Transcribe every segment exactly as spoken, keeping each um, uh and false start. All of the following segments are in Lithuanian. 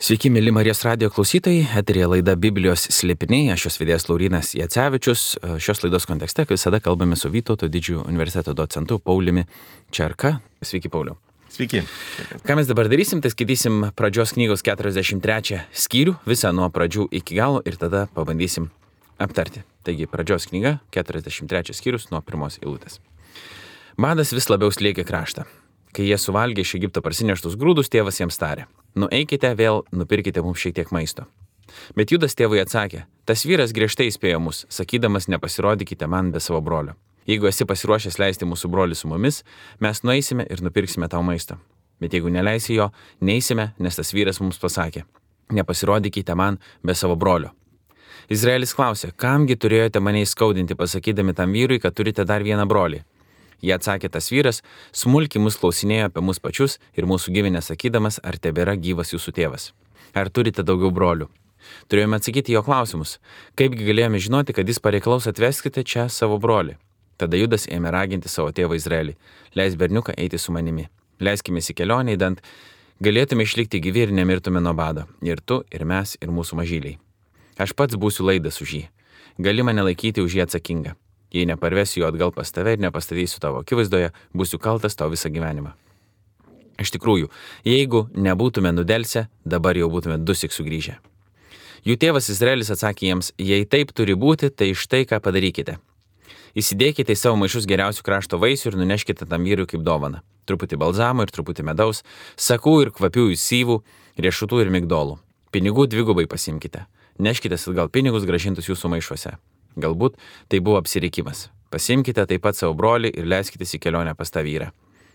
Sveiki, mėly Marijos radijo klausytojai, eterėje laida Biblijos slėpiniai, aš jos vedėjas Laurynas Jacevičius. Šios laidos kontekste, kaip visada, kalbame su Vytauto didžiojo universiteto docentu Pauliumi Čerka. Sveiki, Pauliau. Sveiki. Ką mes dabar darysim, tai skaitysim pradžios knygos keturiasdešimt trečią skyrių, visą nuo pradžių iki galo ir tada pabandysim aptarti. Taigi, pradžios knyga, keturiasdešimt trečias skyrius nuo pirmos eilutės. Badas vis labiau slėgė kraštą. Kai jie suvalgė iš Egipto parsineštus grūdus, tėvas jiems tarė: nueikite vėl, nupirkite mums šiek tiek maisto. Bet Judas tėvui atsakė: tas vyras griežtai įspėjo mus, sakydamas, nepasirodykite man be savo brolio. Jeigu esi pasiruošęs leisti mūsų brolį su mumis, mes nueisime ir nupirksime tau maisto. Bet jeigu neleisi jo, neisime, nes tas vyras mums pasakė: nepasirodykite man be savo brolio. Izraelis klausė: kamgi turėjote mane įskaudinti, pasakydami tam vyrui, kad turite dar vieną brolį? Jie atsakė: tas vyras smulkiai mus klausinėjo apie mus pačius ir mūsų giminę, sakydamas, ar tebėra gyvas jūsų tėvas. Ar turite daugiau brolių? Turėjome atsakyti jo klausimus. Kaipgi galėjome žinoti, kad jis pareikalaus: atveskite čia savo brolį. Tada Judas ėmė raginti savo tėvą Izraelį: leis berniuką eiti su manimi. Leiskime į kelionę, įdant galėtume išlikti gyvi ir nemirtume nuo bado. Ir tu, ir mes, ir mūsų mažyliai. Aš pats būsiu laidas už jį. Gali mane laikyti už jį atsakingą. Jei neparvesiu jo atgal pas tave ir nepastatysiu tavo akivaizdoje, būsiu kaltas tau visą gyvenimą. Iš tikrųjų, jeigu nebūtume nudelsę, dabar jau būtume dusik sugrįžę. Jų tėvas Izraelis atsakė jiems: jei taip turi būti, tai štai ką padarykite. Įsidėkite į savo maišus geriausių krašto vaisių ir nuneškite tam vyrui kaip dovaną. Truputį balzamo ir truputį medaus, sakų ir kvapiųjų syvų, riešutų ir migdolų. Pinigų dvigubai pasimkite. Neškite atgal pinigus grąžintus jūsų maišuose. Galbūt tai buvo apsirikimas. Pasimkite taip pat savo brolį ir leiskitės į kelionę pas tą vyrą.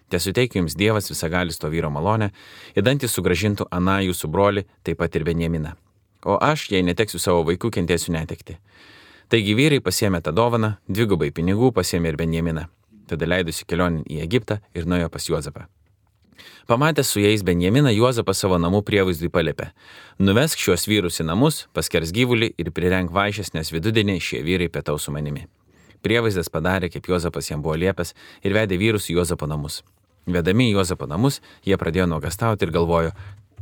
Tesuteikiu jums Dievas visagalis to vyro malonę, įdant jis sugrąžintų aną jūsų brolį, taip pat ir Benjaminą. O aš, jei neteksiu savo vaikų, kentėsiu netekti. Taigi vyrai pasiėmė tą dovaną, dvigubai pinigų pasiėmė ir Benjaminą. Tada leidusi kelionę į Egiptą ir nuėjo pas Juozapą. Pamatęs su jais Benjaminą, Juozapas savo namų prievaizdui paliepė: nuvesk šiuos vyrus į namus, paskers gyvulį ir prirenk vaišes, nes vidudienį šie vyrai pietaus su manimi. Prievaizdas padarė, kaip Juozapas jam buvo liepęs, ir vedė vyrus į Juozapo namus. Vedami į Juozapo namus, jie pradėjo nuogastauti ir galvojo: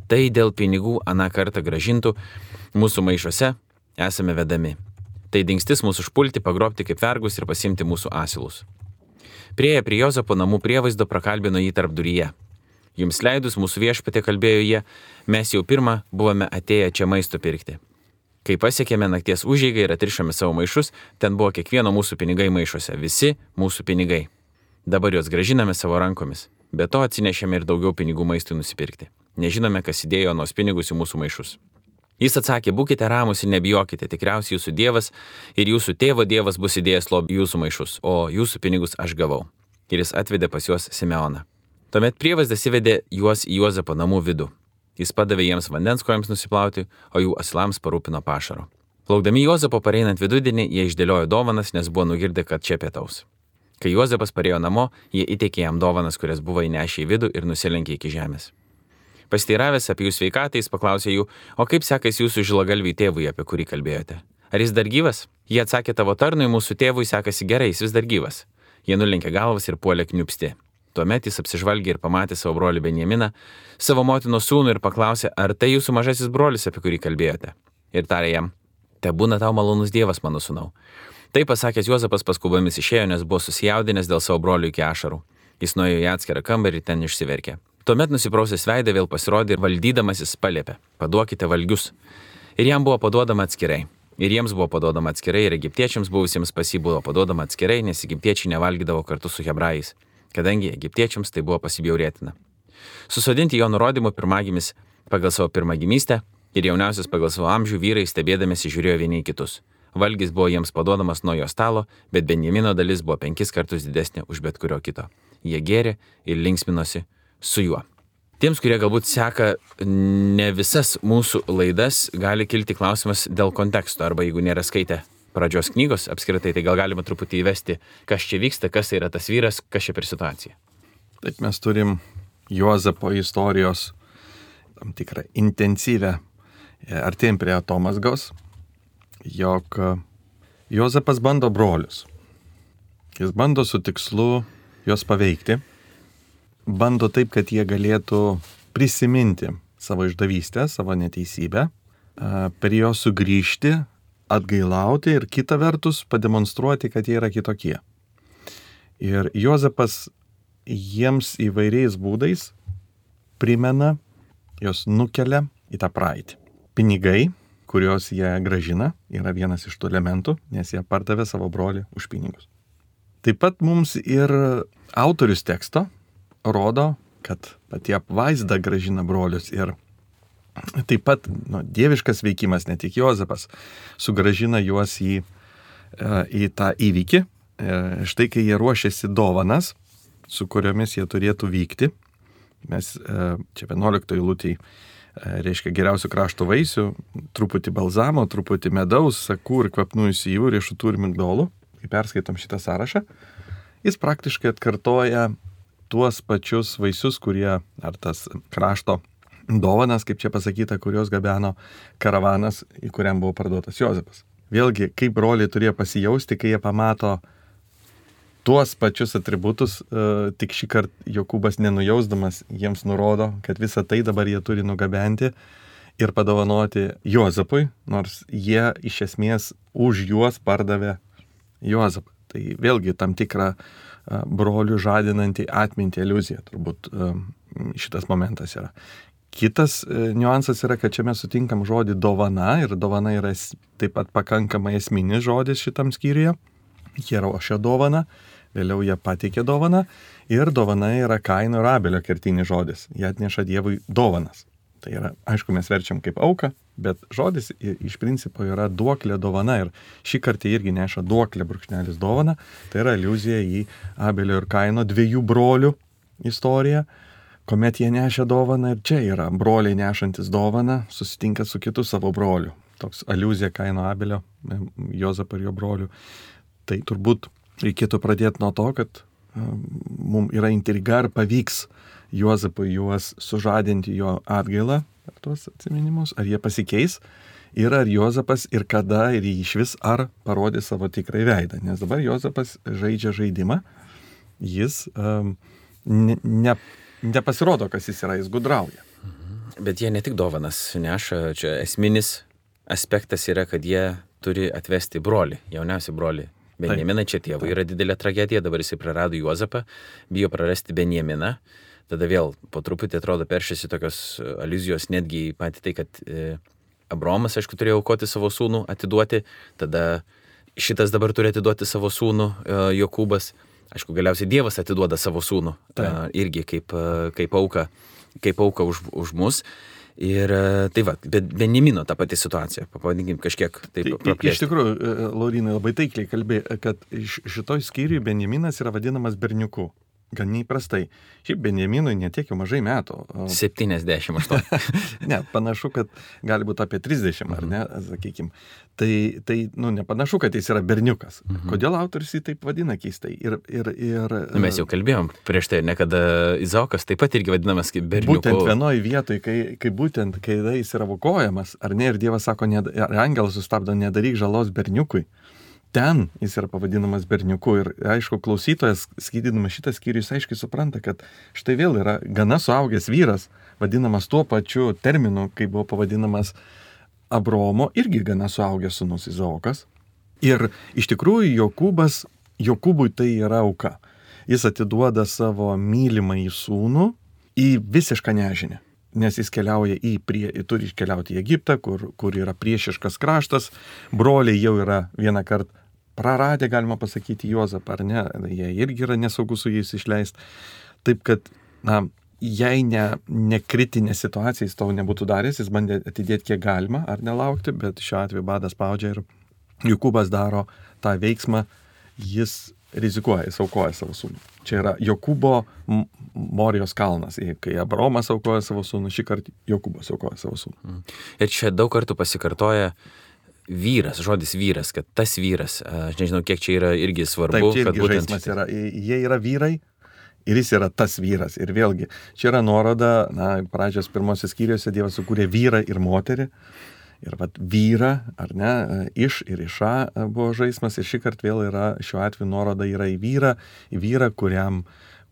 tai dėl pinigų aną kartą grąžintų mūsų maišuose esame vedami. Tai dingstis mūsų užpulti, pagrobti kaip vergus ir pasimti mūsų asilus. Prieėję prie Juozapo namų prievaizdo, prakalbino jį tarpduryje. Jums leidus, mūsų viešpatė, kalbėjo jie, mes jau pirmą buvome atėję čia maisto pirkti. Kai pasiekėme nakties užeigą ir atrišome savo maišus, ten buvo kiekvieno mūsų pinigai maišuose, visi mūsų pinigai. Dabar juos gražiname savo rankomis. Be to atsinešėme ir daugiau pinigų maistui nusipirkti. Nežinome, kas įdėjo nuos pinigus į mūsų maišus. Jis atsakė: būkite ramūs ir nebijokite, tikriausiai jūsų Dievas ir jūsų tėvo Dievas bus įdėjęs lobį jūsų maišus, o jūsų pinigus aš gavau. Ir jis atvedė pas juos Simeoną. Tuomet prievaizdas įvedė juos į Juozapo namų vidų. Jis padavė jiems vandens kojams nusiplauti, o jų asilams parūpino pašaro. Plaukdami Juozapo pareinant vidudienį, jie išdėliojo dovanas, nes buvo nugirdę, kad čia pietaus. Kai Juozapas parėjo namo, jie įteikė jam dovanas, kurias buvo įnešę į vidų, ir nusilenkė iki žemės. Pasteiravęs apie jų sveikatą, jis paklausė jų: o kaip sekasi jūsų žilagalviui tėvui, apie kurį kalbėjote? Ar jis dar gyvas? Jie atsakė: tavo tarnui, mūsų tėvui sekasi gerai, jis vis dar gyvas. Jie nulenkė galvas ir puolė kniupsti. Tuomet jis apsižvalgė ir pamatė savo brolį Benjaminą, savo motinos sūnų, ir paklausė: ar tai jūsų mažasis brolis, apie kurį kalbėjote? Ir tarė jam: tebūna tau malonus Dievas, mano sūnau. Tai pasakęs, Juozapas paskubomis išėjo, nes buvo susijaudinęs dėl savo brolių iki ašarų. Jis nuėjo į atskirą kambarį ir ten išsiverkė. Tuomet nusiprausęs veidą vėl pasirodė ir valdydamas jis paliepė: paduokite valgius. Ir jam buvo paduodama atskirai. Ir jiems buvo paduodama atskirai, ir egiptiečiams buvusiems pas jį buvo paduodama atskirai, nes egiptiečiai nevalgydavo kartu su hebrajais, kadangi egiptiečiams tai buvo pasibjaurėtina. Susodinti jo nurodymu pirmagimis pagal savo pirmagimystę ir jauniausias pagal savo amžių vyrai stebėdamėsi žiūrėjo vieni į kitus. Valgis buvo jiems paduodamas nuo jo stalo, bet Benjamino dalis buvo penkis kartus didesnė už bet kurio kito. Jie gėrė ir linksminosi su juo. Tiems, kurie galbūt seka ne visas mūsų laidas, gali kilti klausimas dėl konteksto, arba jeigu nėra skaitę pradžios knygos apskritai, tai gal galima truputį įvesti, kas čia vyksta, kas yra tas vyras, kas čia per situaciją. Taip, mes turim Juozapo istorijos tam tikrą intensyvę, artėjim prie atomazgos, jog Juozapas bando brolius. Jis bando su tikslu juos paveikti, bando taip, kad jie galėtų prisiminti savo išdavystę, savo neteisybę, per jo sugrįžti, atgailauti ir kita vertus pademonstruoti, kad jie yra kitokie. Ir Juozapas jiems įvairiais būdais primena, jos nukelia į tą praeitį. Pinigai, kuriuos jie gražina, yra vienas iš tų elementų, nes jie pardavė savo brolį už pinigus. Taip pat mums ir autorius teksto rodo, kad pati apvaizda gražina brolius ir taip pat nu, dieviškas veikimas, ne tik Juozapas, sugražina juos į, į tą įvykį. Štai kai jie ruošiasi dovanas, su kuriomis jie turėtų vykti, mes čia vienuoliktoj eilutėj reiškia geriausių krašto vaisių, truputį balzamo, truputį medaus, sakų ir kvapnųjų sijų, riešutų ir migdolų. Kai perskaitom šitą sąrašą, jis praktiškai atkartoja tuos pačius vaisius, kurie, ar tas krašto dovanas, kaip čia pasakyta, kurios gabeno karavanas, į kuriam buvo parduotas Juozapas. Vėlgi, kaip broliai turėjo pasijausti, kai jie pamato tuos pačius atributus, tik šį kartą Jokūbas nenujausdamas jiems nurodo, kad visą tai dabar jie turi nugabenti ir padovanoti Juozapui, nors jie iš esmės už juos pardavė Juozapą. Tai vėlgi tam tikra brolių žadinanti atminti iliuzija, turbūt šitas momentas yra. Kitas niuansas yra, kad čia mes sutinkam žodį dovana ir dovana yra taip pat pakankamai esminis žodis šitam skyriuje. Jie ruošia dovaną, vėliau jie pateikė dovaną ir dovana yra Kaino ir Abelio kertinis žodis. Jie atneša Dievui dovanas. Tai yra, aišku, mes verčiam kaip auką, bet žodis iš principo yra duoklė dovana ir šį kartą irgi neša duoklė brūkšnelis dovana. Tai yra aliuzija į Abelio ir Kaino dviejų brolių istoriją, kuomet jie nešia dovaną ir čia yra broliai nešantis dovaną, susitinka su kitu savo broliu. Toks aliuzija Kaino Abelio, Juozapo ir jo brolių. Tai turbūt reikėtų pradėti nuo to, kad mums yra intriga, ar pavyks Juozapui juos sužadinti jo atgailą, ar tuos atsiminimus, ar jie pasikeis ir ar Juozapas ir kada ir iš vis ar parodys savo tikrai veidą. Nes dabar Juozapas žaidžia žaidimą, jis um, ne, ne, nepasirodo, kas jis yra, jis gudrauja. Bet jie ne tik dovanas neša, čia esminis aspektas yra, kad jie turi atvesti brolį, jauniausią brolį. Benjaminą, čia tėvui yra didelė tragedija, dabar jisai prarado Juozapą, bijo prarasti Benjaminą, tada vėl po truputį atrodo peršėsi tokios aliuzijos netgi patį tai, kad e, Abraomas, aišku, turėjo aukoti savo sūnų, atiduoti, tada šitas dabar turi atiduoti savo sūnų, e, Jokūbas, aišku, galiausiai Dievas atiduoda savo sūnų, e, irgi kaip, kaip auka, kaip auka už, už mus. Ir tai va, bet Benjamino ta pati situacija, pavadinkim kažkiek taip praplėsti. Iš tikrųjų, Laurinai labai taikliai kalbė, kad šitoj skyriui Benjaminas yra vadinamas berniuku. Gan neįprastai. Šiaip Benjaminui netiek jau mažai metų. septyniasdešimt aštuoni. Ne, panašu, kad gali būti apie trisdešimt, ar ne, sakykim. Tai, tai nu, nepanašu, kad jis yra berniukas. Mhm. Kodėl autorius jį taip vadina keistai? Ir, ir, ir, nu, mes jau kalbėjom prieš tai, ne kada Izaokas taip pat irgi vadinamas kaip berniuku. Būtent vienoj vietoj, kai, kai būtent, kai jis yra aukojamas, ar ne, ir Dievas sako, ne, angelas sustabdo, nedaryk žalos berniukui. Ten jis yra pavadinamas berniuku ir, aišku, klausytojas, skaitydamas šitą skyrių, jis aiškiai supranta, kad štai vėl yra gana suaugęs vyras, vadinamas tuo pačiu terminu, kai buvo pavadinamas Abraomo, irgi gana suaugęs sūnus Izaokas. Ir iš tikrųjų Jokūbas, Jokūbui tai yra auka. Jis atiduoda savo mylimąjį sūnų į visišką nežinią. Nes jis keliauja į, prie, turi keliauti į Egiptą, kur, kur yra priešiškas kraštas, broliai jau yra vieną kartą praradę, galima pasakyti, Juozapą, ar ne, jie irgi yra nesaugu su jais išleisti. Taip kad, na, jei ne, ne kritinė situacija jis to nebūtų daręs, jis bandė atidėti kiek galima, ar nelaukti, bet šiuo atveju badas spaudžia ir Jokūbas daro tą veiksmą, jis rizikuoja, jis aukoja savo sūnų. Čia yra Jokūbo Morijos kalnas. Kai Abraomas aukoja savo sūnų, šį kartą Jokūbas aukoja savo sūnų. Ir čia daug kartų pasikartoja vyras, žodis vyras, kad tas vyras, aš nežinau, kiek čia yra irgi svarbu. Taip, čia irgi kad būtent žaismas yra. Jie yra vyrai ir jis yra tas vyras. Ir vėlgi, čia yra nuoroda, na, pradžios pirmosios skyriuose Dievas sukūrė vyrą ir moterį. Ir vat vyra, ar ne, iš ir iša buvo žaismas ir šį kartą vėl yra, šiuo atveju nuoroda yra į vyrą, į vyrą, kuriam,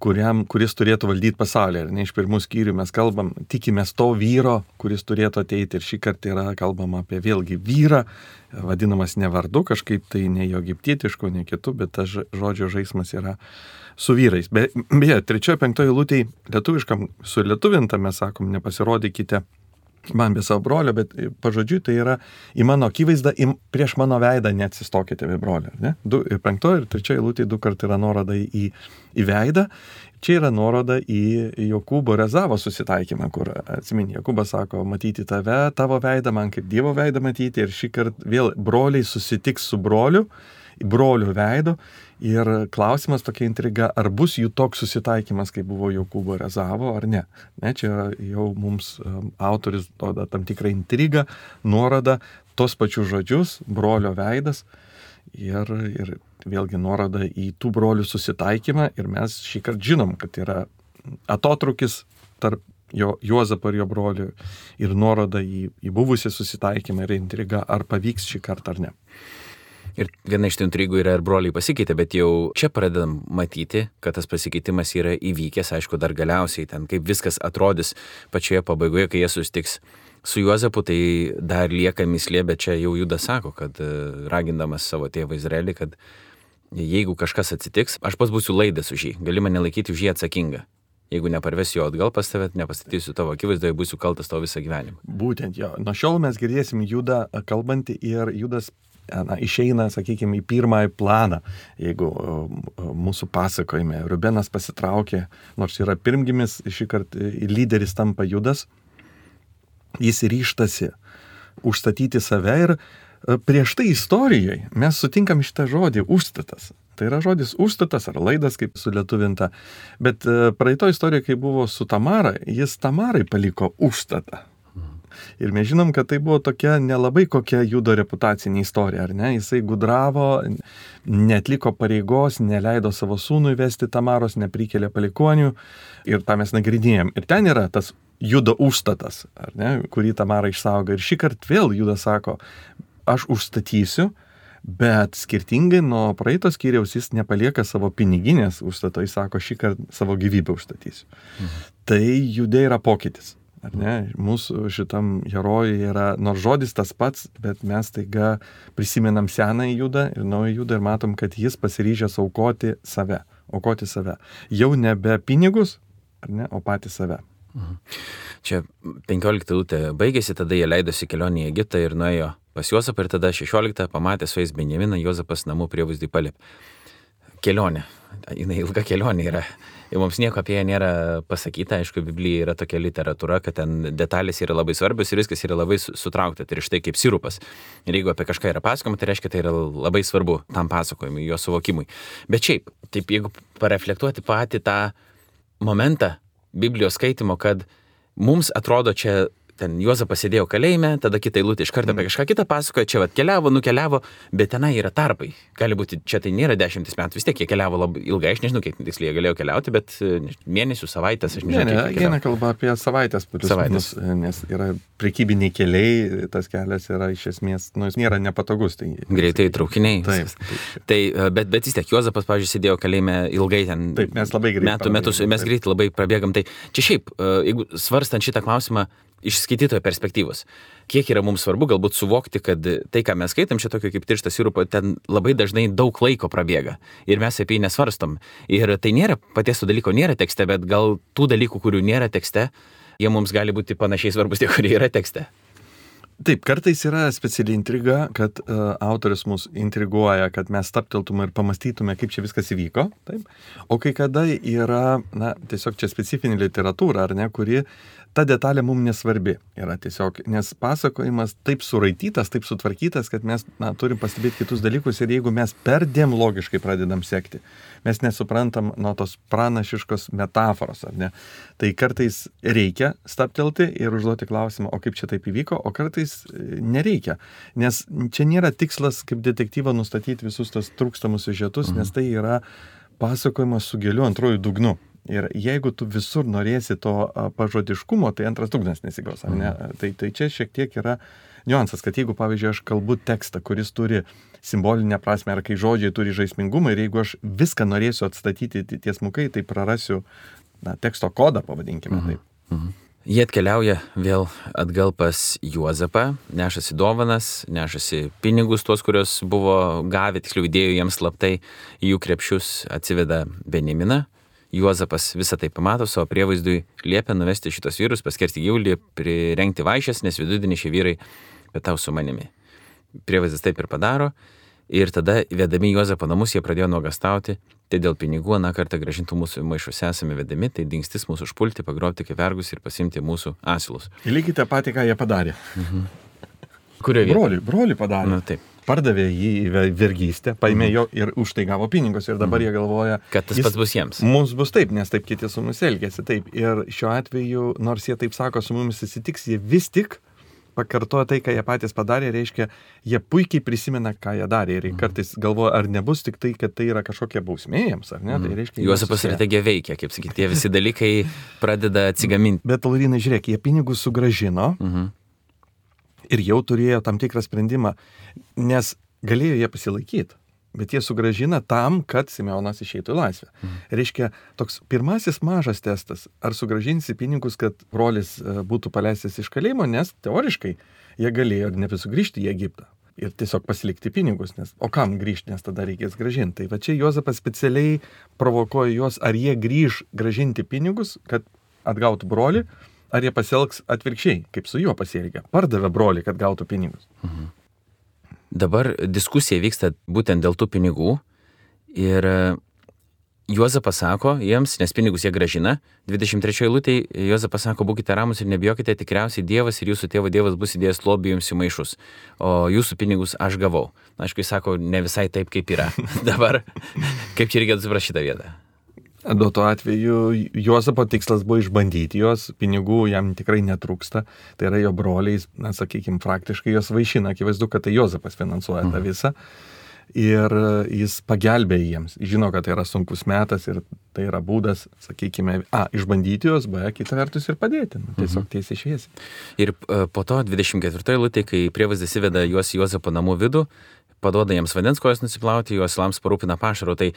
kuriam, kuris turėtų valdyti pasaulį. Ir ne iš pirmų skyrių mes kalbam, tikimės to vyro, kuris turėtų ateiti. Ir šį kartą yra kalbama apie vėlgi vyrą, vadinamas ne vardu, kažkaip tai ne jo egiptietišku, ne kitu, bet tas žodžio žaismas yra su vyrais. Be, beje, trečioje, penktoje eilutėje lietuviškam su lietuvinta mes sakom, nepasirodykite man be savo brolio, bet pažodžiui tai yra į mano akivaizdą, į, prieš mano veidą neatsistokite be brolio. Ne? Du, ir penktoje ir trečioje eilutėje du kart yra nuoroda į, į veidą. Čia yra nuoroda į Jokūbo ir Ezavo susitaikymą, kur, atsimeni, Jokūbas sako, matyti tave, tavo veidą, man kaip Dievo veidą matyti, ir šį kartą vėl broliai susitiks su broliu, brolių veido, ir klausimas tokia intriga, ar bus jų toks susitaikymas, kaip buvo Jokūbo ir Ezavo, ar ne. Ne, čia jau mums um, autoris duoda tam tikrą intrigą, nuorodą, tos pačius žodžius, brolio veidas, ir, ir vėlgi nuoroda į tų brolių susitaikymą, ir mes šį kartą žinom, kad yra atotrukis tarp jo, Juozapo ir jo brolių, ir nuoroda į, į buvusią susitaikymą ir intrigą, ar pavyks šį kartą ar ne. Ir viena iš tų intrigų yra, ir broliai pasikeitė, bet jau čia pradedam matyti, kad tas pasikeitimas yra įvykęs, aišku, dar galiausiai ten, kaip viskas atrodys pačioje pabaigoje, kai jie susitiks su Juozapu, tai dar lieka mislė, bet čia jau Judas sako, kad ragindamas savo tėvą Izraelį, kad jeigu kažkas atsitiks, aš pats būsiu laidas už jį, gali mane laikyti už jį atsakingą. Jeigu neparvesiu jo atgal pas tave, nepastatysiu tavo akivaizdoje, būsiu kaltas tavo visą gyvenimą. Būtent jo. Nuo šiol mes girdėsim Judą kalbantį, ir Judas na, išeina, sakykime, į pirmąjį planą. Jeigu mūsų pasakojime Rubenas pasitraukė, nors yra pirmgimis, šį kartą lyderis tampa Judas, jis ryžtasi užstatyti save, ir prieš tai istorijoje mes sutinkam šitą žodį užstatas. Tai yra žodis užstatas ar laidas, kaip sulietuvinta. Bet praeito istorijoje, kai buvo su Tamara, jis Tamarai paliko užstatą. Ir mes žinom, kad tai buvo tokia nelabai kokia Judo reputacinė istorija, ar ne? Jisai gudravo, neatliko pareigos, neleido savo sūnui vesti Tamaros, neprikėlė palikonių, ir tą mes nagrinėjom. Ir ten yra tas Judo užstatas, ar ne, kurį Tamara išsaugo. Ir šį kartą vėl Judas sako, aš užstatysiu, bet skirtingai nuo praeito skyriaus jis nepalieka savo piniginės užstato, jis sako, šį kartą savo gyvybę užstatysiu. Mhm. Tai Jude yra pokytis. Ar ne? Mūsų šitam herojui yra, nors žodis tas pats, bet mes taiga prisimenam senąjį Judą ir naują Judą ir matom, kad jis pasiryžęs aukoti save, aukoti save. Jau nebe pinigus, ar ne, o patį save. Mhm. Čia penkiolikta eilutė baigėsi, tada jie leidosi kelionį į Egiptą ir nuėjo pas Juozapą, ir tada šešiolikta pamatė su jais Benjaminą, Juozapas namų prievaizdį paliepė. Kelionė, jinai ilga kelionė yra. Ir mums nieko apie ją nėra pasakyta, aišku, Biblija yra tokia literatūra, kad ten detalės yra labai svarbios ir viskas yra labai sutraukta, tai ir štai kaip sirupas. Ir jeigu apie kažką yra pasakoma, tai reiškia, tai yra labai svarbu tam pasakojimui, jo suvokimui. Bet šiaip, taip jeigu pareflektuoti patį tą momentą Biblijos skaitimo, kad mums atrodo čia, ten Juozapas sėdėjo kalėjime, tada kitą eilutę iš karto apie kažką kitą pasakoja, čia vat keliavo, nukeliavo, bet tenai yra tarpai. Gali būti, čia tai nėra dešimtis metų, vis tiek jie keliavo labai ilgai, aš nežinau, kiek tiksliai jie galėjo keliauti, bet mėnesių, savaitės, aš nežinau. Ne, ne, eina kalba apie savaitės, savaitės. Nes yra prekybiniai keliai, tas kelias yra iš esmės, nu, jis nėra nepatogus. Tai, greitai traukiniai. Taip, taip. Tai, bet, bet vis tiek, Juozapas, pavyzdžiui, sėdėjo kalėjime ilgai ten. Taip, mes labai greitai. Metų, metus, mes greitai labai prabėgam. Tai čia šiaip, jeigu svarstant šitą klausimą, iš skaitytojo perspektyvos. Kiek yra mums svarbu galbūt suvokti, kad tai, ką mes skaitam, čia tokio kaip tirštas sirupo, ten labai dažnai daug laiko prabėga. Ir mes apie jį nesvarstom. Ir tai nėra, paties to dalyko nėra tekste, bet gal tų dalykų, kurių nėra tekste, jie mums gali būti panašiai svarbus tie, kurie yra tekste. Taip, kartais yra speciali intriga, kad uh, autorius mus intriguoja, kad mes stapteltume ir pamastytume, kaip čia viskas įvyko. Taip? O kai kada yra, na, tiesiog čia specifinė literatūra, ar ne, kuri ta detalė mums nesvarbi yra tiesiog, nes pasakojimas taip suraitytas, taip sutvarkytas, kad mes, na, turim pastebėti kitus dalykus, ir jeigu mes perdėm logiškai pradedam sekti, mes nesuprantam nuo tos pranašiškos metaforos, ar ne? Tai kartais reikia staptelti ir užduoti klausimą, o kaip čia taip įvyko, o kartais nereikia, nes čia nėra tikslas kaip detektyvo nustatyti visus tos trūkstamus siužetus, mhm. nes tai yra pasakojimas su giliu antrojų dugnu. Ir jeigu tu visur norėsi to pažodiškumo, tai antras dugnas nesigaus, ar ne? Mhm. Tai, tai čia šiek tiek yra niuansas, kad jeigu, pavyzdžiui, aš kalbu tekstą, kuris turi simbolinę prasme, ar kai žodžiai turi žaismingumą, ir jeigu aš viską norėsiu atstatyti tiesmukai, tai prarasiu na, teksto kodą, pavadinkime mhm. taip. Mhm. Jie atkeliauja vėl atgal pas Juozapą, nešasi dovanas, nešasi pinigus tuos, kurios buvo gavę, tiksliau įdėjo jiems slaptai į jų krepšius, atsiveda Benjaminą. Juozapas visą tai pamato, savo prievaizdui liepia nuvesti šitos vyrus, paskersti gyvulį, prirengti vaišes, nes vidudienį šie vyrai pietaus su manimi. Prievaizdas taip ir padaro. Ir tada, vedami Juozapo namus, jie pradėjo nuogastauti, tai dėl pinigų aną kartą grąžintų mūsų maišus esame vedami, tai dingstis mūsų užpulti, pagrobti kaip vergus ir pasimti mūsų asilus. Lygiai tą patį, ką jie padarė. Mhm. Kurio vietą? Broli, broli padarė. Na, taip. Pardavė jį į vergystę, paėmė mhm. jo ir už tai gavo pinigus ir dabar mhm. jie galvoja, kad tas pats bus jiems. Mums bus taip, nes taip kiti su mumis elgėsi taip. Ir šiuo atveju, nors jie taip sako, su mumis susitiks, jie vis tik pakartoja tai, ką jie patys padarė, reiškia, jie puikiai prisimena, ką jie darė. Ir kartais galvoja, ar nebus tik tai, kad tai yra kažkokia bausmė jiems, ar ne? Mm. Tai reiškia, Juozapo strategija veikia, kaip sakyti, tie visi dalykai pradeda atsigaminti. Bet, Laurinai, žiūrėk, jie pinigus sugrąžino mm-hmm. ir jau turėjo tam tikrą sprendimą, nes galėjo jie pasilaikyti. Bet jie sugrąžina tam, kad Simeonas išeitų į laisvę. Mhm. Reiškia, toks pirmasis mažas testas, ar sugrąžinsi pinigus, kad brolis būtų paleistas iš kalėjimo, nes teoriškai jie galėjo ir nebesugrįžti į Egiptą. Ir tiesiog pasilikti pinigus, nes o kam grįžti, nes tada reikės grąžinti. Tai va čia Juozapas specialiai provokuoja juos, ar jie grįž grąžinti pinigus, kad atgautų brolį, ar jie pasielgs atvirkščiai, kaip su juo pasielgia. Pardavė brolį, kad gautų pinigus. Mhm. Dabar diskusija vyksta būtent dėl tų pinigų ir Juozapas sako jiems, nes pinigus jie grąžina, dvidešimt trečioje eilutėje Juozapas sako, būkite ramus ir nebijokite, tikriausiai Dievas ir jūsų tėvo Dievas bus įdėjęs lobį jums į maišus, o jūsų pinigus aš gavau. Aišku, jis sako, ne visai taip, kaip yra. Dabar, kaip čia reikėtų suprasti šitą vietą? Duo tuo atveju Juozapo tikslas buvo išbandyti juos, pinigų jam tikrai netrūksta, tai yra jo broliais, na, sakykime, praktiškai jos vaišina, akivaizdu, kad tai Juozapas finansuoja tą visą ir jis pagelbė jiems, žino, kad tai yra sunkus metas ir tai yra būdas, sakykime, a, išbandyti juos, b, kita vertus ir padėti, nu, tiesiog tiesiai šviesiai. Ir po to dvidešimt ketvirtoje eilutėje, kai prievaizdas įveda juos į Juozapo namų vidų, paduoda jiems vandens kojas nusiplauti, juos lams parūpina pašaro, tai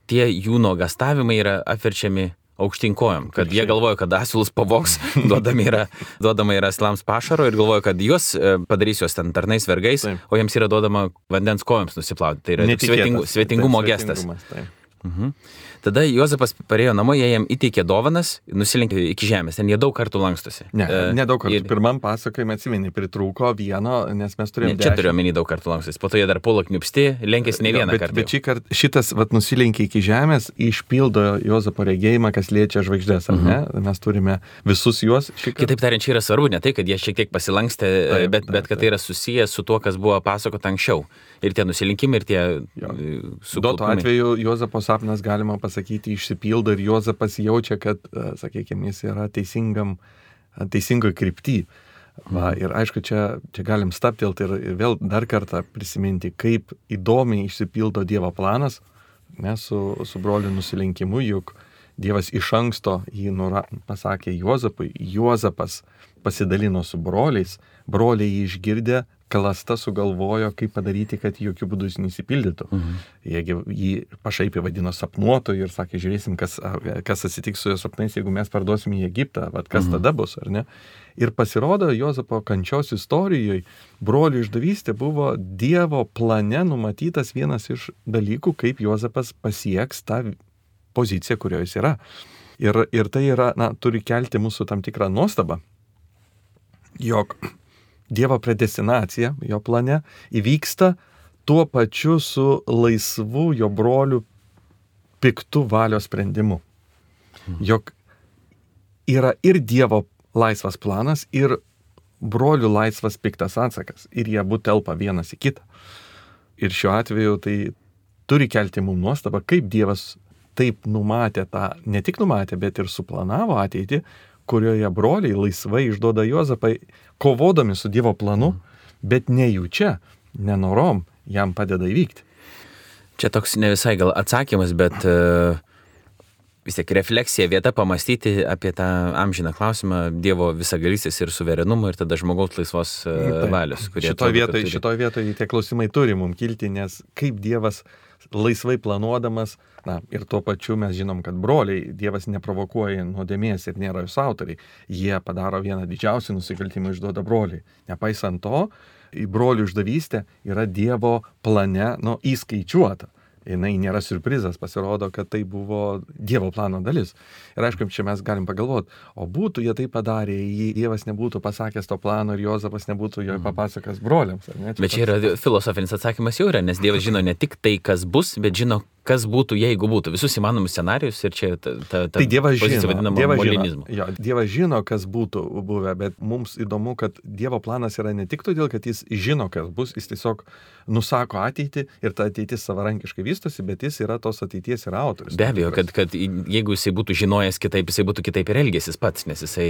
tie jų nuogastavimai yra apverčiami aukštyn kojom, kad jie galvoja, kad asilus pavogs, duodami yra, duodama yra asilams pašaro ir galvoja, kad juos padarys juos ten tarnais vergais, taip. O jiems yra duodama vandens kojoms nusiplauti. Tai yra svetingu, svetingumo taip, gestas. Mhm. Tada Juozapas parėjo namo, jie jam įteikė dovanas, nusilenkė iki žemės, ten jie daug kartų lankstosi. Ne, uh, ne daug kartų. Ir... Pirmam pasakojime atsimeni, pritrūko vieno, nes mes turėjome... Ne, čia turiu omeny daug kartų lankstosi, po to jie dar puolo kniupsti, lenkėsi ne vieną bet, kartą. Bet šį kartą šitas vat, nusilenkė iki žemės, išpildo Juozapo regėjimą, kas liečia žvaigždės, ar ne? Mhm. Mes turime visus juos šį kartą. Kitaip tariant, čia yra svarbu, ne tai, kad jie šiek tiek pasilankstė, taip, bet, bet kad tai yra susijęs su tuo, kas buvo pasakota anksčiau. Ir tie nusilinkimai, ir tie sukaupimai. Duo tuo atveju Juozapo sapnas, galima pasakyti, išsipildo ir Juozapas jaučia, kad, sakykime, jis yra teisingam, teisingoje krypty. Va, ir aišku, čia, čia galim stabtelti ir, ir vėl dar kartą prisiminti, kaip įdomiai išsipildo Dievo planas, ne, su, su broliu nusilenkimu, juk Dievas iš anksto jį nura, pasakė Juozapui, Juozapas pasidalino su broliais, broliai jį išgirdę, klasta sugalvojo, kaip padaryti, kad jokių būdų jis neįsipildytų. Mhm. Jie jį pašaipiai vadino sapnuotoju ir sakė, žiūrėsim, kas, kas atsitiks su jo sapnais, jeigu mes parduosim į Egiptą, vat, kas mhm. tada bus, ar ne? Ir pasirodo, Juozapo kančios istorijoje brolių išdavystė buvo Dievo plane numatytas vienas iš dalykų, kaip Juozapas pasieks tą poziciją, kurioje jis yra. Ir, ir tai yra, na, turi kelti mūsų tam tikrą nuostabą, jog Dievo predestinacija jo plane įvyksta tuo pačiu su laisvu jo brolių piktų valios sprendimu. Jog yra ir Dievo laisvas planas, ir brolių laisvas piktas atsakas. Ir jie abu telpa vienas į kitą. Ir šiuo atveju tai turi kelti mums nuostabą, kaip Dievas taip numatė tą, ne tik numatė, bet ir suplanavo ateitį, kurioje broliai laisvai išduoda Juozapą, kovodami su Dievo planu, bet nejučia, nenorom jam padeda įvykti. Čia toks ne visai gal atsakymas, bet uh, vis tiek refleksija vieta pamastyti apie tą amžiną klausimą Dievo visagalystės ir suverenumo ir tada žmogaus laisvos uh, valios. Šitoje vietoje šitoj vietoj tie klausimai turi mums kilti, nes kaip Dievas laisvai planuodamas, na ir tuo pačiu mes žinom, kad broliai Dievas neprovokuoja nuodėmės ir nėra jos autoriai. Jie padaro vieną didžiausių nusikaltimų, išduoda broliai. Nepaisant to, į brolių išdavystę yra Dievo plane, nu, įskaičiuota. Jinai nėra siurprizas, pasirodo, kad tai buvo Dievo plano dalis. Ir aišku, čia mes galim pagalvoti, o būtų jie tai padarė, jei Dievas nebūtų pasakęs to plano ir Jozapas nebūtų jo papasakęs broliams. Ar ne? Čia bet čia yra filosofinis atsakymas jau yra, nes Dievas žino ne tik tai, kas bus, bet žino, kas būtų, jeigu būtų. Visus įmanomus scenarius ir čia ta, ta, ta tai Dievas pozicija vadinama Dievas molinizmu. Žino, jo, Dievas žino, kas būtų buvę, bet mums įdomu, kad Dievo planas yra ne tik todėl, kad jis žino, kas bus, jis tiesiog nusako ateitį ir ta ateitis savarankiškai vystosi, bet jis yra tos ateities ir autorius. Be abejo, kad, kad jeigu jisai būtų žinojęs kitaip, jisai būtų kitaip ir elgėsis pats, nes jisai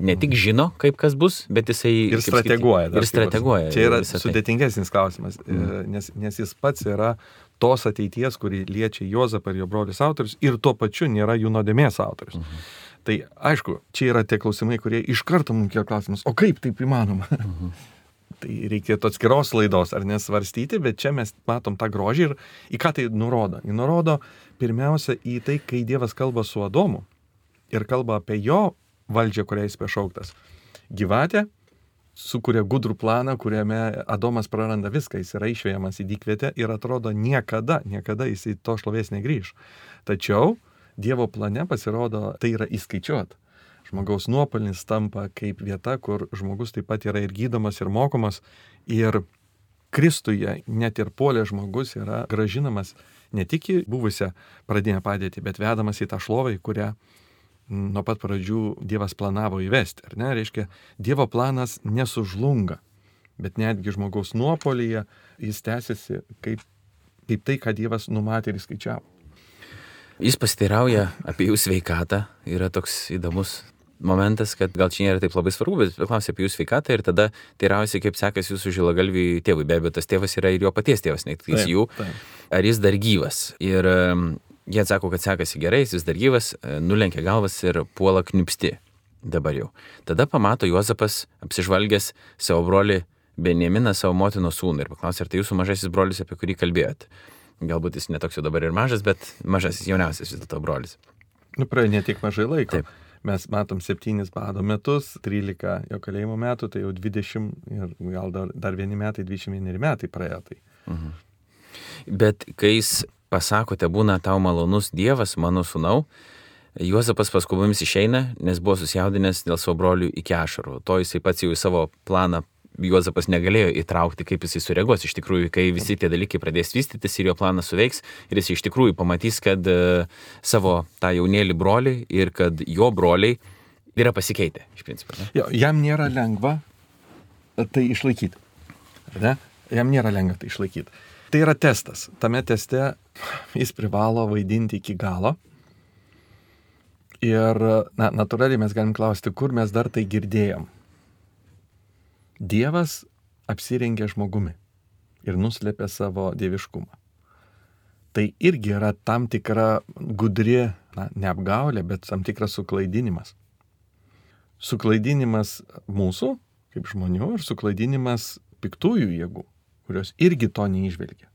ne tik žino, kaip kas bus, bet jisai ir strateguoja. Ir strateguoja. Čia yra sudėtingesnis klausimas, mm. nes, nes jis pats yra tos ateities, kuri liečia Jozapą ir jo brolius autorius ir tuo pačiu nėra jų nuodėmės autorius. Mhm. Tai aišku, čia yra tie klausimai, kurie iš karto mums kėlė klausimus, o kaip taip įmanoma? Mhm. Tai reikėtų atskiros laidos ar nesvarstyti, bet čia mes matom tą grožį ir į ką tai nurodo. Jis nurodo pirmiausia į tai, kai Dievas kalba su Adomu ir kalba apie jo valdžią, kurią jis pašauktas. Gyvatė sukuria gudrų planą, kuriame Adomas praranda viską, jis yra išvejamas į dykvietę ir atrodo niekada, niekada jis į to šlovės negrįž. Tačiau Dievo plane pasirodo, tai yra įskaičiuota. Žmogaus nuopelnis tampa kaip vieta, kur žmogus taip pat yra ir gydomas, ir mokomas, ir Kristuje net ir puolė žmogus yra gražinamas ne tik į buvusią pradinę padėtį, bet vedamas į tą šlovę, kurią nuo pat pradžių Dievas planavo įvesti. Ar ne? Reiškia, Dievo planas nesužlunga, bet netgi žmogaus nuopolyje jis tęsiasi kaip, kaip tai, ką Dievas numatė ir įskaičiavo. Jis pasiteirauja apie jų sveikatą. Yra toks įdomus momentas, kad gal čia nėra taip labai svarbu, bet klausia apie jų sveikatą ir tada teiraujasi, kaip sekasi jūsų žilagalviui tėvui. Be abejo, tas tėvas yra ir jo paties tėvas, ne tik jų. Taip. Ar jis dar gyvas? Ir jie atsako, kad sekasi gerai, jis dar gyvas, nulenkia galvas ir puola kniupsti dabar jau. Tada pamato Jozapas, apsižvalgęs savo brolį Benjaminą, savo motinos sūnų ir paklausė, ar tai jūsų mažasis brolis, apie kurį kalbėjot. Galbūt jis netoks jau dabar ir mažas, bet mažasis jauniausias vis dėlto brolis. Nu, praėjo ne tik mažai laiko. Taip. Mes matom septynis bado metus, trylika jo kalėjimo metų, tai jau dvidešimt ir gal dar, dar vieni metai, dvidešimt vieneri metai praėjo. Tai. Mhm. Bet kai jis pasakote, būna tau malonus Dievas, mano sūnau, Juozapas paskubomis išeina, nes buvo susijaudinęs dėl savo brolių iki ašarų. To jisai pats jau į savo planą Juozapas negalėjo įtraukti, kaip jisai sureaguos. Iš tikrųjų, kai visi tie dalykai pradės vystytis ir jo planas suveiks, ir jis iš tikrųjų pamatys, kad uh, savo tą jaunėlį brolį ir kad jo broliai yra pasikeitę, iš principo. Ne? Jo, jam nėra lengva tai išlaikyti. Ne? Jam nėra lengva tai išlaikyti. Tai yra testas. Tame teste jis privalo vaidinti iki galo. Ir, na, natūraliai mes galim klausti, kur mes dar tai girdėjom. Dievas apsirengė žmogumi ir nuslėpė savo dieviškumą. Tai irgi yra tam tikra gudri, na, ne apgaulė, bet tam tikras suklaidinimas. Suklaidinimas mūsų, kaip žmonių, ir suklaidinimas piktųjų jėgų, kurios irgi to neįžvelgia.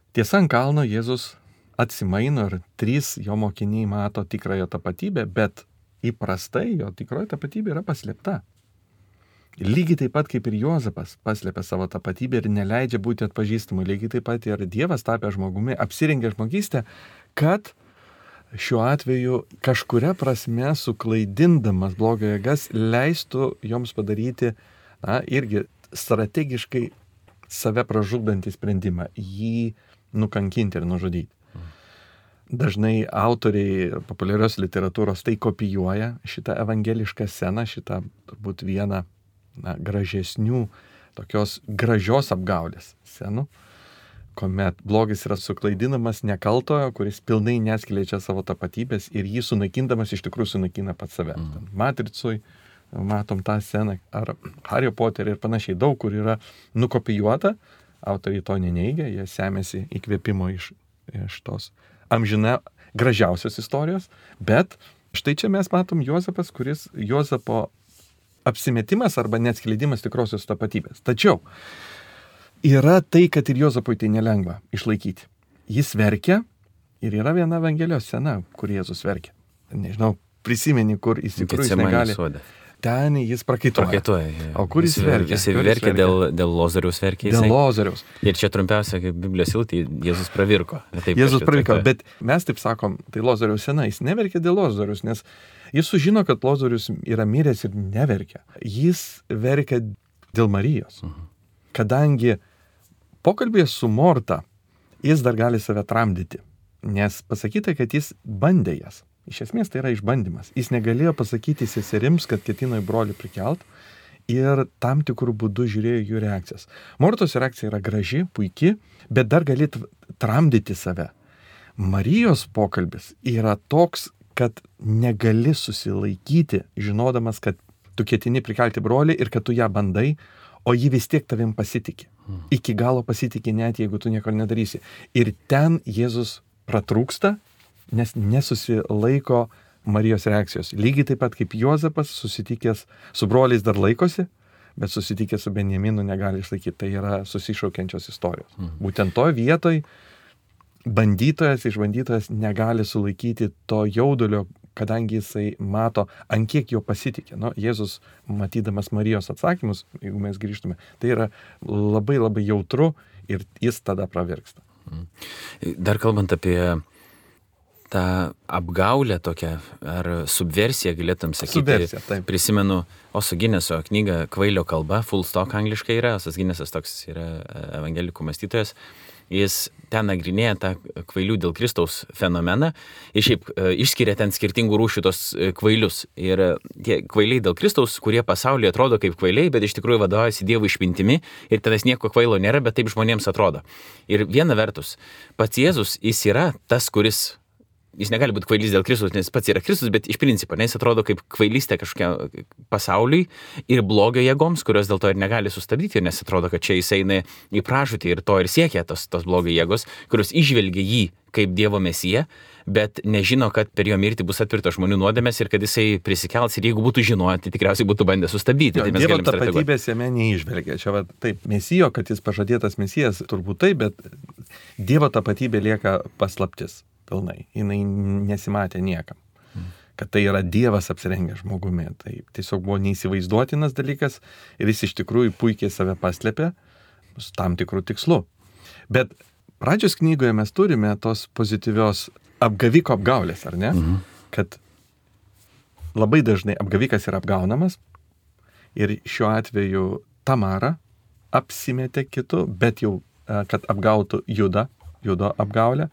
Tiesa, ant kalno Jėzus atsimaino ir trys jo mokiniai mato tikrąją tapatybę, bet įprastai jo tikroji tapatybė yra paslėpta. Lygiai taip pat kaip ir Jozapas paslėpė savo tapatybę ir neleidžia būti atpažįstamu, lygiai taip pat ir Dievas tapė žmogumi, apsirengė žmogystę, kad šiuo atveju kažkuria prasme suklaidindamas blogio jėgas leistų joms padaryti, na, irgi strategiškai save pražudantį sprendimą, jį nukankinti ir nužudyti. Dažnai autoriai populiarios literatūros tai kopijuoja šitą evangelišką sceną, šitą turbūt vieną, na, gražesnių, tokios gražios apgaulės scenų, kuomet blogis yra suklaidinamas nekaltojo, kuris pilnai neskleidžia savo tapatybės ir jį sunaikindamas iš tikrųjų sunaikina pats save. Mm. Matricui matom tą sceną, ar Hario Poterį ir panašiai, daug kur yra nukopijuota, autoriai to neneigia, jie semėsi įkvėpimo iš, iš tos amžina, gražiausios istorijos, bet štai čia mes matom Juozapas, kuris Juozapo apsimetimas arba neatskleidimas tikrosios tapatybės. Tačiau yra tai, kad ir Juozapui tai nelengva išlaikyti. Jis verkia ir yra viena Evangelijos scena, kur Jėzus verkia. Nežinau, prisimeni, kur iš tikrųjų jis negali. Sode. Ten jis prakaituoja. Prakaituoja. O kur jis verkia? Jis verkia dėl, dėl Lozoriaus verkia. Dėl Lozoriaus. Ir čia trumpiausia, kaip Biblijos eilutė, Jėzus pravirko. Taip, Jėzus pravirko, bet mes taip sakom, tai Lozoriaus scena, jis neverkia dėl Lozoriaus, nes jis sužino, kad Lozorius yra miręs ir neverkia. Jis verkia dėl Marijos. Uh-huh. Kadangi pokalbėje su Morta jis dar gali save tramdyti, nes pasakyta, kad jis bandė jas. Iš esmės tai yra išbandymas. Jis negalėjo pasakyti seserims, kad ketino į brolį prikelt ir tam tikrų būdų žiūrėjo jų reakcijas. Mortos reakcija yra graži, puiki, bet dar gali tramdyti save. Marijos pokalbis yra toks, kad negali susilaikyti, žinodamas, kad tu ketini prikelti brolį ir kad tu ją bandai, o ji vis tiek tavim pasitikė. Iki galo pasitikė net, jeigu tu nieko nedarysi. Ir ten Jėzus pratrūksta, nes nesusilaiko Marijos reakcijos. Lygiai taip pat kaip Juozapas susitikęs su broliais dar laikosi, bet susitikęs su Benjaminu negali išlaikyti. Tai yra susišaukiančios istorijos. Mhm. Būtent to vietoj bandytojas, išbandytojas negali sulaikyti to jaudulio, kadangi jisai mato, ant kiek jo pasitikė. Nu, Jėzus, matydamas Marijos atsakymus, jeigu mes grįžtume, tai yra labai labai jautru ir jis tada pravirksta. Dar kalbant apie tą apgaulę tokią, ar subversiją galėtum sakyti. Subversija, taip. Prisimenu Oso Gineso knygą Kvailio kalba, Full Stock angliškai yra, Osas Ginesas toks yra evangelikų mąstytojas. Jis ten nagrinėja tą kvailių dėl Kristaus fenomeną ir šiaip išskiria ten skirtingų rūšių tos kvailius. Ir tie kvailiai dėl Kristaus, kurie pasaulyje atrodo kaip kvailiai, bet iš tikrųjų vadovaujasi Dievo išmintimi ir tenais nieko kvailo nėra, bet taip žmonėms atrodo. Ir viena vertus, pats Jėzus, jis yra tas, kuris jis negali būti kvailys dėl Kristus, nes pats yra Kristus, bet iš principo, nes jis atrodo kaip kvailystė kažkokia pasauliui ir blogio jėgoms, kurios dėl to ir negali sustabdyti, nes atrodo, kad čia jis eina į pražūtį ir to ir siekia tos, tos blogio jėgos, kurios išvelgia jį kaip Dievo mesiją, bet nežino, kad per jo mirtį bus atpirktos žmonių nuodėmės ir kad jisai prisikels ir jeigu būtų žinoję, tai tikriausiai būtų bandę sustabdyti. Jo, tai Dievo tapatybės jame neižvelgia. Čia va, taip, mesijo, kad jis pažadėtas mesijas, turbūt taip, bet Dievo tapatybė lieka paslaptis. Pilnai. Jinai nesimatė niekam. Kad tai yra Dievas apsirengęs žmogumi. Tai tiesiog buvo neįsivaizduotinas dalykas ir jis iš tikrųjų puikiai save paslėpė su tam tikrų tikslu. Bet pradžios knygoje mes turime tos pozityvios apgaviko apgaulės, ar ne? Mhm. Kad labai dažnai apgavikas yra apgaunamas ir šiuo atveju Tamara apsimetė kitu, bet jau, kad apgautų Judą, Judo apgaulę.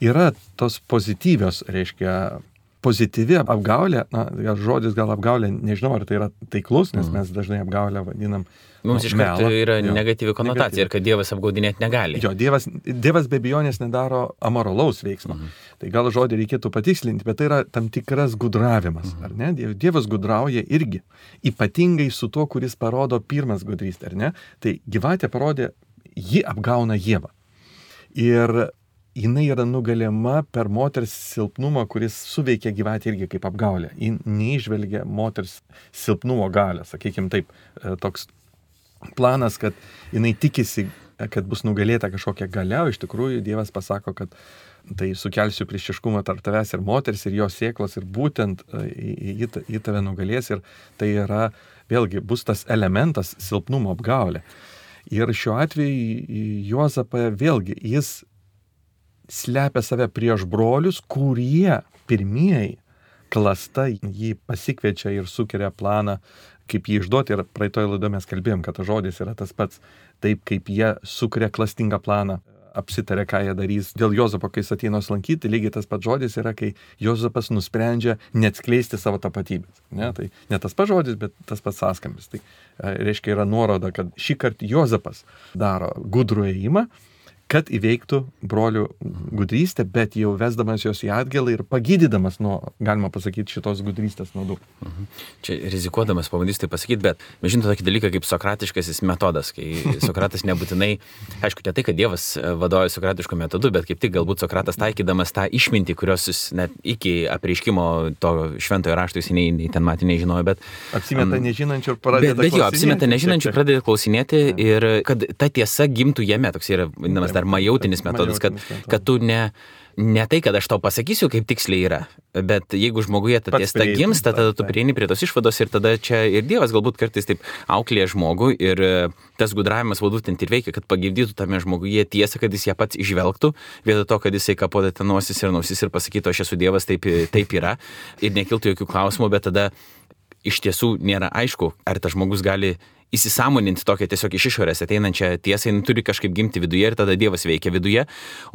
Yra tos pozityvios, reiškia, pozityvi apgaulė, na, žodis gal apgaulė, nežinau, ar tai yra taiklus, nes mes dažnai apgaulę vadinam. Mums iš karto yra jo, negatyvi konotacija negatyvi. Ir kad Dievas apgaudinėti negali. Jo, Dievas, Dievas be abejonės nedaro amoralaus veiksmo. Mhm. Tai gal žodį reikėtų patikslinti, bet tai yra tam tikras gudravimas, mhm. ar ne? Dievas gudrauja irgi, ypatingai su tuo, kuris parodo pirmas gudrystę, ar ne? Tai gyvatė parodė, ji apgauna Ievą. Ir jinai yra nugalima per moters silpnumą, kuris suveikia gyvatę irgi kaip apgaulė. Ji neižvelgia moters silpnumo galią, sakykime taip, toks planas, kad jinai tikisi, kad bus nugalėta kažkokia galia, o iš tikrųjų Dievas pasako, kad tai sukelsiu priešiškumą tarp tavęs ir moters ir jos sėklos ir būtent į tave nugalės ir tai yra, vėlgi, bus tas elementas silpnumo apgaulė. Ir šiuo atveju Juozapą vėlgi, jis slepia save prieš brolius, kurie pirmieji klasta jį pasikviečia ir sukeria planą, kaip jį išduoti. Ir praeitoje laidoje mes kalbėjom, kad tas žodis yra tas pats, taip kaip jie sukeria klastingą planą, apsitarė, ką jie darys. Dėl Juozapo, kai jis ateina lankyti, lygiai tas pats žodis yra, kai Juozapas nusprendžia neatskleisti savo tapatybės. Ne? Tai ne tas pats žodis, bet tas pats sąskambis. Tai reiškia yra nuoroda, kad šį kartą Juozapas daro gudrų ėjimą, kad įveiktų brolių gudrystę, bet jau vesdamas jos į atgalą ir pagydydamas nuo, galima pasakyti, šitos gudrystės naudų. Mhm. Čia rizikuodamas pabandysiu tai pasakyti, bet mes žinome tokį dalyką kaip sokratiškasis metodas, kai Sokratas nebūtinai, aišku, ne tai, kad Dievas vadovauja sokratišku metodu, bet kaip tik galbūt Sokratas taikydamas tą išmintį, kurios jis net iki apreiškimo to šventojo rašto jis nei, nei ten matė nežinojo, bet... Apsimeta um, nežinančių ir pradeda bet, bet jo, apsimeta nežinančių ir pradeda klausinėti ja. Ir kad ta tiesa gimtų jame, toks yra vadinamas dar majautinis metodas, kad, kad tu ne... Ne tai, kad aš tau pasakysiu, kaip tiksliai yra, bet jeigu žmoguje ta tiesa gimsta, tada tu prieini prie tos išvados ir tada čia ir Dievas galbūt kartais taip auklėja žmogų ir tas gudravimas būtent ir veikia, kad pagimdytų tame žmoguje tiesą, kad jis ją pats išvelgtų, vietoj to, kad jisai kapoda ten nosis ir nosis ir pasakytų, aš esu Dievas, taip, taip yra ir nekiltų jokių klausimų, bet tada iš tiesų nėra aišku, ar tas žmogus gali įsisąmoninti tokią tiesiog iš išorės ateinančią tiesą, jin turi kažkaip gimti viduje ir tada Dievas veikia viduje,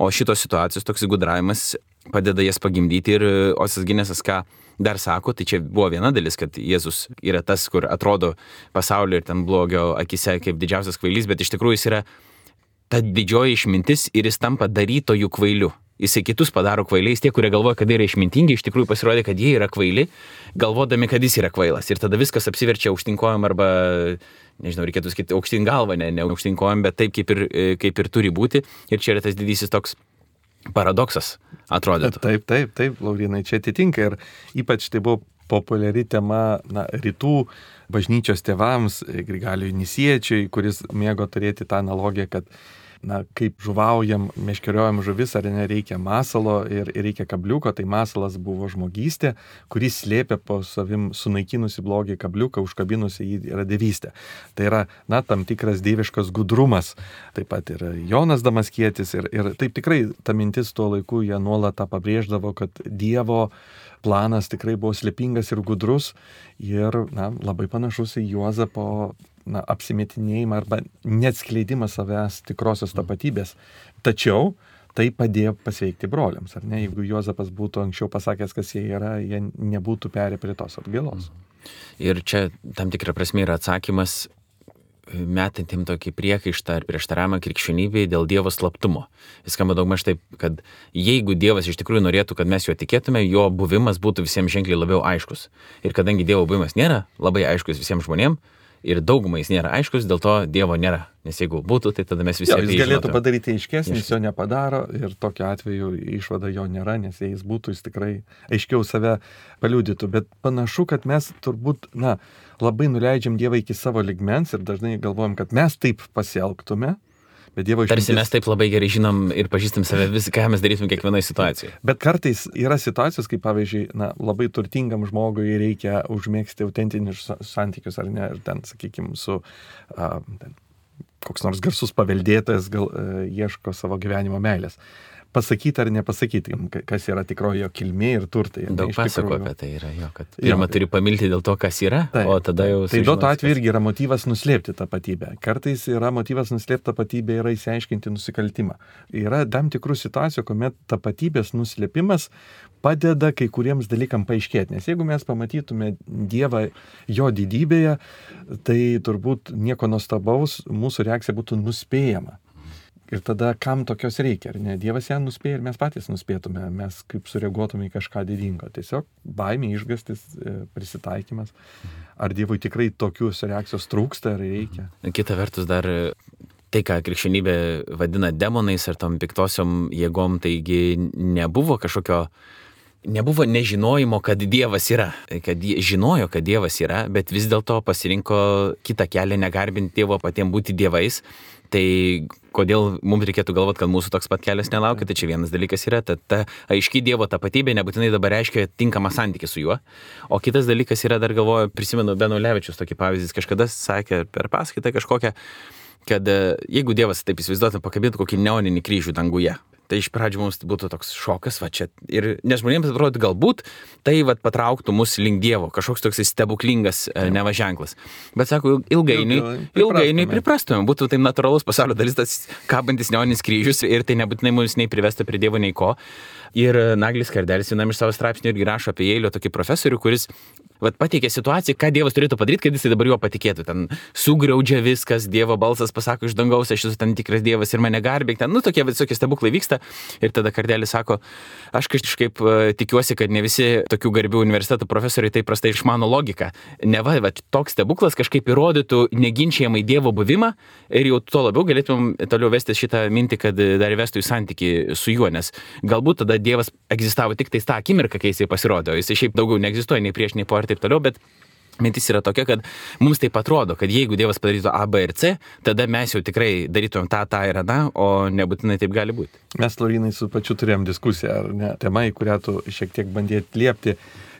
o šitos situacijos toks gudravimas padeda jas pagimdyti ir Osas Ginesas ką dar sako, tai čia buvo viena dalis, kad Jėzus yra tas, kur atrodo pasaulio ir ten blogio akise kaip didžiausias kvailys, bet iš tikrųjų jis yra ta didžioji išmintis ir jis tampa darytojų kvailiu. Jisai kitus padaro kvailiais, tie, kurie galvoja, kad jie yra išmintingi, iš tikrųjų pasirodė, kad jie yra kvaili, galvodami, kad jis yra kvailas. Ir tada viskas apsiverčia aukštinkojam arba, nežinau, reikėtų sakyti aukštyn galvą, ne, ne aukštinkojam, bet taip, kaip ir, kaip ir turi būti. Ir čia yra tas didysis toks paradoksas, atrodytų. Taip, taip, taip, Laurinai, čia atitinka. Ir ypač tai buvo populiari tema na, rytų bažnyčios tėvams, Grigalijui Nisiečiui, kuris mėgo turėti tą analogiją, kad na, kaip žuvaujam, meškeriojam žuvis, ar nereikia masalo ir, ir reikia kabliuko, tai masalas buvo žmogystė, kuris slėpė po savim sunaikinusi blogį kabliuką, užkabinusi jį yra dievystė. Tai yra, na, tam tikras dieviškas gudrumas. Taip pat ir Jonas Damaskietis ir, ir taip tikrai ta mintis tuo laiku jie nuolat tą pabrėždavo, kad Dievo planas tikrai buvo slėpingas ir gudrus ir, na, labai panašus į Juozapo na, apsimetinėjimą arba neatskleidimą savęs tikrosios tapatybės. Tačiau tai padėjo pasveikti broliams, ar ne? Jeigu Juozapas būtų anksčiau pasakęs, kas jie yra, jie nebūtų perėję prie tos atgailos. Ir čia tam tikra prasme yra atsakymas metantim tokį priekaištą ar prieštaravimą krikščionybei dėl Dievo slaptumo. Jis skamba daugmaž taip, kad jeigu Dievas iš tikrųjų norėtų, kad mes jo tikėtume, jo buvimas būtų visiems ženkliai labiau aiškus. Ir kadangi Dievo buvimas nėra labai aiškus visiems žmonėms, ir daugumai jis nėra aiškus, dėl to Dievo nėra. Nes jeigu būtų, tai tada mes visi jo, jis galėtų padaryti aiškesnį, jis jo nepadaro ir tokiu atveju išvada jo nėra, nes jei jis būtų, jis tikrai aiškiau save paliudytų. Bet panašu, kad mes turbūt, na, labai nuleidžiam Dievą iki savo ligmens ir dažnai galvojam, kad mes taip pasielgtume. Išmintis... Tarsi mes taip labai gerai žinom ir pažįstam save vis, ką mes darytum kiekvienoje situacijoje. Bet kartais yra situacijos, kaip pavyzdžiui, na, labai turtingam žmogui reikia užmėgsti autentinius santykius, ar ne, ir ten, sakykime, su a, ten, koks nors garsus paveldėtojas gal a, ieško savo gyvenimo meilės. Pasakyti ar nepasakyti, kas yra tikroji jo kilmė ir turtai. Daug pasako apie tai yra jo, kad pirmą jo, turi pamilti dėl to, kas yra, taip, o tada jau... Tai duoto atveju irgi yra motyvas nuslėpti tapatybę. Kartais yra motyvas nuslėpti tapatybę, yra įsiaiškinti nusikaltimą. Yra tam tikrų situacijų, kuomet tapatybės nuslėpimas padeda kai kuriems dalykam paaiškėti. Nes jeigu mes pamatytume Dievą jo didybėje, tai turbūt nieko nuostabaus, mūsų reakcija būtų nuspėjama. Ir tada kam tokios reikia, ar ne? Dievas ją nuspėja ir mes patys nuspėtume, mes kaip sureaguotume į kažką didingo. Tiesiog baimė, išgąstis, prisitaikymas. Ar Dievui tikrai tokios reakcijos trūksta, ar reikia? Kita vertus dar tai, ką krikščionybė vadina demonais ar tom piktosiom jėgom, taigi nebuvo kažkokio, nebuvo nežinojimo, kad Dievas yra. Kad žinojo, kad Dievas yra, bet vis dėlto pasirinko kitą kelią, negarbinti Dievo, patiems būti dievais. Tai kodėl mums reikėtų galvoti, kad mūsų toks pat kelias nelaukia, tai čia vienas dalykas yra, ta, ta aiški Dievo tapatybė nebūtinai dabar reiškia tinkamą santykį su juo. O kitas dalykas yra, dar galvoju, prisimenu Beno Levičius tokį pavyzdį, kažkada sakė per paskaitą kažkokią, kad jeigu Dievas taip įsivaizduotų, pakabintų kokį neoninį kryžių danguje. Tai iš pradžių mums būtų toks šokas, va čia. Ir nes žmonėms atrodo, galbūt tai va patrauktų mus link Dievo, kažkoks toks stebuklingas neva ženklas. Bet sako, ilgainiui, ilgainiui priprastume, būtų tai natūralus pasaulio dalis, tas kabantis neoninis kryžius ir tai nebūtinai mus nei privesta prie Dievo, nei ko. Ir Naglis Kardelis vienam iš savo straipsnių irgi rašo apie Jeilio tokį profesorių, kuris vat pateikė situaciją, ką Dievas turėtų padaryti, kad jisai dabar juo patikėtų. Ten sugriaudžia viskas, Dievo balsas pasako iš dangaus, aš esu ten tikras Dievas ir mane garbėk. Ten, nu, tokie visokie stebuklai vyksta. Ir tada Kardelis sako, aš kažkaip uh, tikiuosi, kad ne visi tokių garbių universitetų profesoriai taip prastai išmano logiką. Neva, va, toks stebuklas kažkaip įrodytų neginčiamai Dievo buvimą ir jau tuo labiau galėtum toliau vesti šitą mintį, kad dar įvestų į santykį su juo, nes galbūt tada Dievas egzistavo tik tais tą akimirką, kai jisai pasirodė, o jisai šiaip daugiau neegzistuoja nei prieš, nei po ir taip toliau, bet mintis yra tokia, kad mums taip atrodo, kad jeigu Dievas padarytų A, B ir C, tada mes jau tikrai darytumėm tą, tą ir aną, o nebūtinai taip gali būti. Mes, Laurinai, su pačiu turėjom diskusiją, ar ne, tema, į kurią tu šiek tiek bandėt liepti,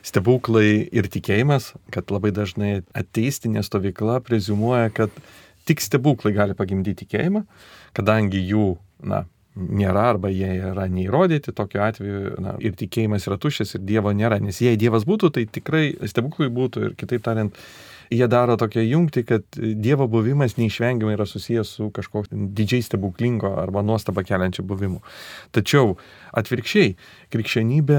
stebuklai ir tikėjimas, kad labai dažnai ateistinė stovykla preziumuoja, kad tik stebuklai gali pagimdyti tikėjimą, kadangi jų, na, nėra arba jie yra neįrodyti, tokiu atveju na, ir tikėjimas yra tuščias ir Dievo nėra, nes jei Dievas būtų, tai tikrai stebuklai būtų ir kitaip tariant, jie daro tokią jungtį, kad Dievo buvimas neišvengiamai yra susijęs su kažkokiu didžiai stebuklingo arba nuostabą keliančiu buvimu. Tačiau atvirkščiai, krikščionybė,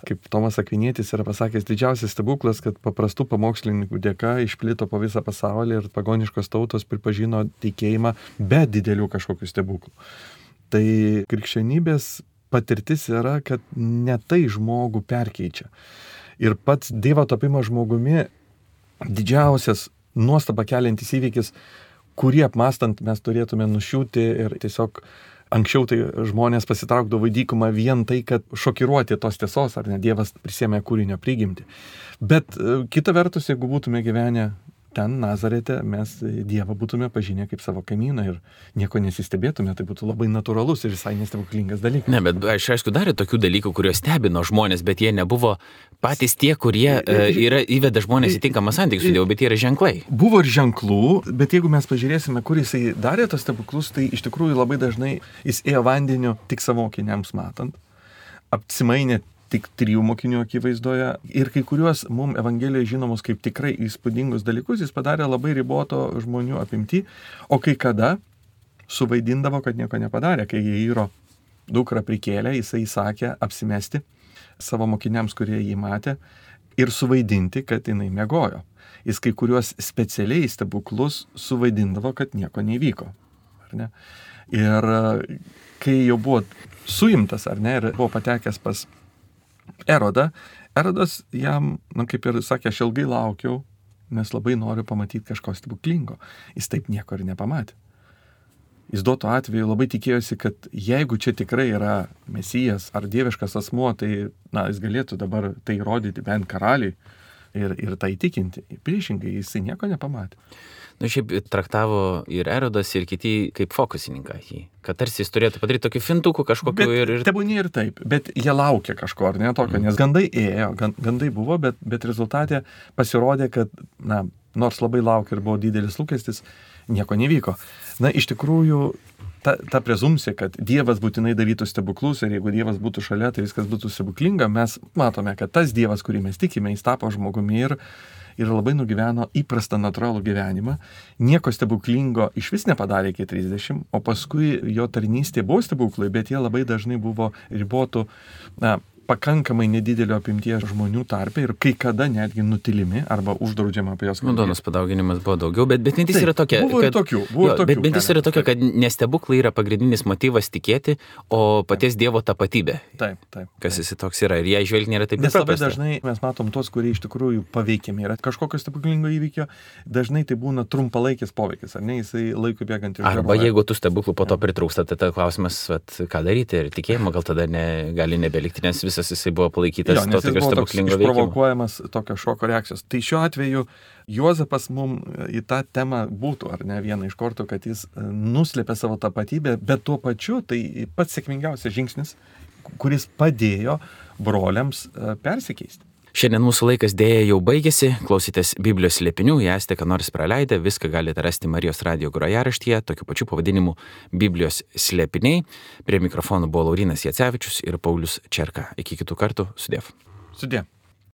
kaip Tomas Akvinietis yra pasakęs, didžiausias stebuklas, kad paprastų pamokslininkų dėka išplito po visą pasaulį ir pagoniškos tautos pripažino tikėjimą be didelių kažkokių stebuklų. Tai krikščionybės patirtis yra, kad ne tai žmogų perkeičia. Ir pats Dievo tapimas žmogumi didžiausias nuostabą keliantis įvykis, kurį apmastant mes turėtume nušiūti ir tiesiog anksčiau tai žmonės pasitraukdavo į dykumą vien tai, kad šokiruoti tos tiesos, ar ne Dievas prisėmė kūrinio prigimtį. Bet kita vertus, jeigu būtume gyvenę ten Nazarete, mes Dievą būtume pažinę kaip savo kaimyną ir nieko nesistebėtume, tai būtų labai natūralus ir visai nestebuklingas dalykas. Ne, bet aš aišku darė tokių dalykų, kuriuos stebino žmonės, bet jie nebuvo patys tie, kurie uh, yra įveda žmonės į tinkamą santykį su Dievu, bet jie yra ženklai. Buvo ir ženklų, bet jeigu mes pažiūrėsime, kur jisai darė tos stebuklus, tai iš tikrųjų labai dažnai jis ėjo vandeniu tik savo mokiniams matant, apsimainė tik trijų mokinių akivaizdoje ir kai kuriuos mums Evangelijoje žinomus kaip tikrai įspūdingus dalykus jis padarė labai riboto žmonių apimti, o kai kada suvaidindavo, kad nieko nepadarė. Kai Jairo dukrą prikėlė, jisai įsakė apsimesti savo mokiniams, kurie jį matė, ir suvaidinti, kad jinai miegojo. Jis kai kuriuos specialiai stebuklus suvaidindavo, kad nieko nevyko. Ar ne? Ir kai jau buvo suimtas, ar ne, ir buvo patekęs pas Erodą, Erodas jam, na kaip ir sakė, aš ilgai laukiau, nes labai noriu pamatyti kažko stebuklingo. Jis taip nieko ir nepamatė. Jis duoto atveju labai tikėjosi, kad jeigu čia tikrai yra Mesijas ar dieviškas asmuo, tai na, jis galėtų dabar tai rodyti bent karaliui ir, ir tai įtikinti. Priešingai, jisai nieko nepamatė. Nu, šiaip traktavo ir Erodas, ir kiti kaip fokusininką jį. Kad tarsi jis turėtų padaryti tokį fintukų kažkokiu ir... ir... Tebūnė ir taip, bet jie laukia kažko, ar ne tokio, mm. nes gandai ėjo, gandai buvo, bet, bet rezultate pasirodė, kad, na, nors labai laukia ir buvo didelis lūkestis, nieko nevyko. Na, iš tikrųjų, ta, ta prezumcija, kad Dievas būtinai darytų stebuklus ir jeigu Dievas būtų šalia, tai viskas būtų stebuklinga, mes matome, kad tas Dievas, kurį mes tikime, jis tapo žmogumi ir ir labai nugyveno įprastą natūralų gyvenimą, nieko stebuklingo iš vis nepadarė iki trisdešimt, o paskui jo tarnystė buvo stebuklai, bet jie labai dažnai buvo ribotų, na, pakankamai nedidelio apimties žmonių tarpe ir kai kada netgi nutilimi arba uždraudžiama apie jos kalbėti. Nu, duonos padauginimas buvo daugiau, bet, bet mintis yra tokia, buvo kad... Ir tokių, buvo jo, ir tokių. Bet mintis yra tokia, kad nestebuklai yra pagrindinis motyvas tikėti, o paties taip. Dievo tapatybė. Taip, taip. Kas jis toks yra ir ją žvelgti nėra taip Nes labai paprasta. dažnai mes matom tos, kurie iš tikrųjų paveikiami yra kažkokio stebuklingo įvykio, dažnai tai būna trumpalaikis poveikis, ar ne, jisai laikui bėgant iš Arba jeigu tų stebuklų po to pritrūksta, tai tada klausimas, vat, ką daryti ir tikėjimo gal tada ne, gali nebelikti, nes visas jisai buvo palaikytas. Jo, nes jis buvo toks išprovokuojamas tokio šoko reakcijos. Tai šiuo atveju Juozapas mums į tą temą būtų, ar ne, vieną iš kortų, kad jis nuslėpė savo tapatybę, bet tuo pačiu tai pats sėkmingiausias žingsnis, kuris padėjo broliams persikeisti. Šiandien mūsų laikas dėja jau baigėsi, klausytės Biblijos slėpinių, jei esate ką nors praleidę, viską galite rasti Marijos radijo grojaraštyje, tokiu pačiu pavadinimu Biblijos slėpiniai. Prie mikrofonų buvo Laurynas Jacevičius ir Paulius Čerka. Iki kitų kartų, sudiev. Sudiev.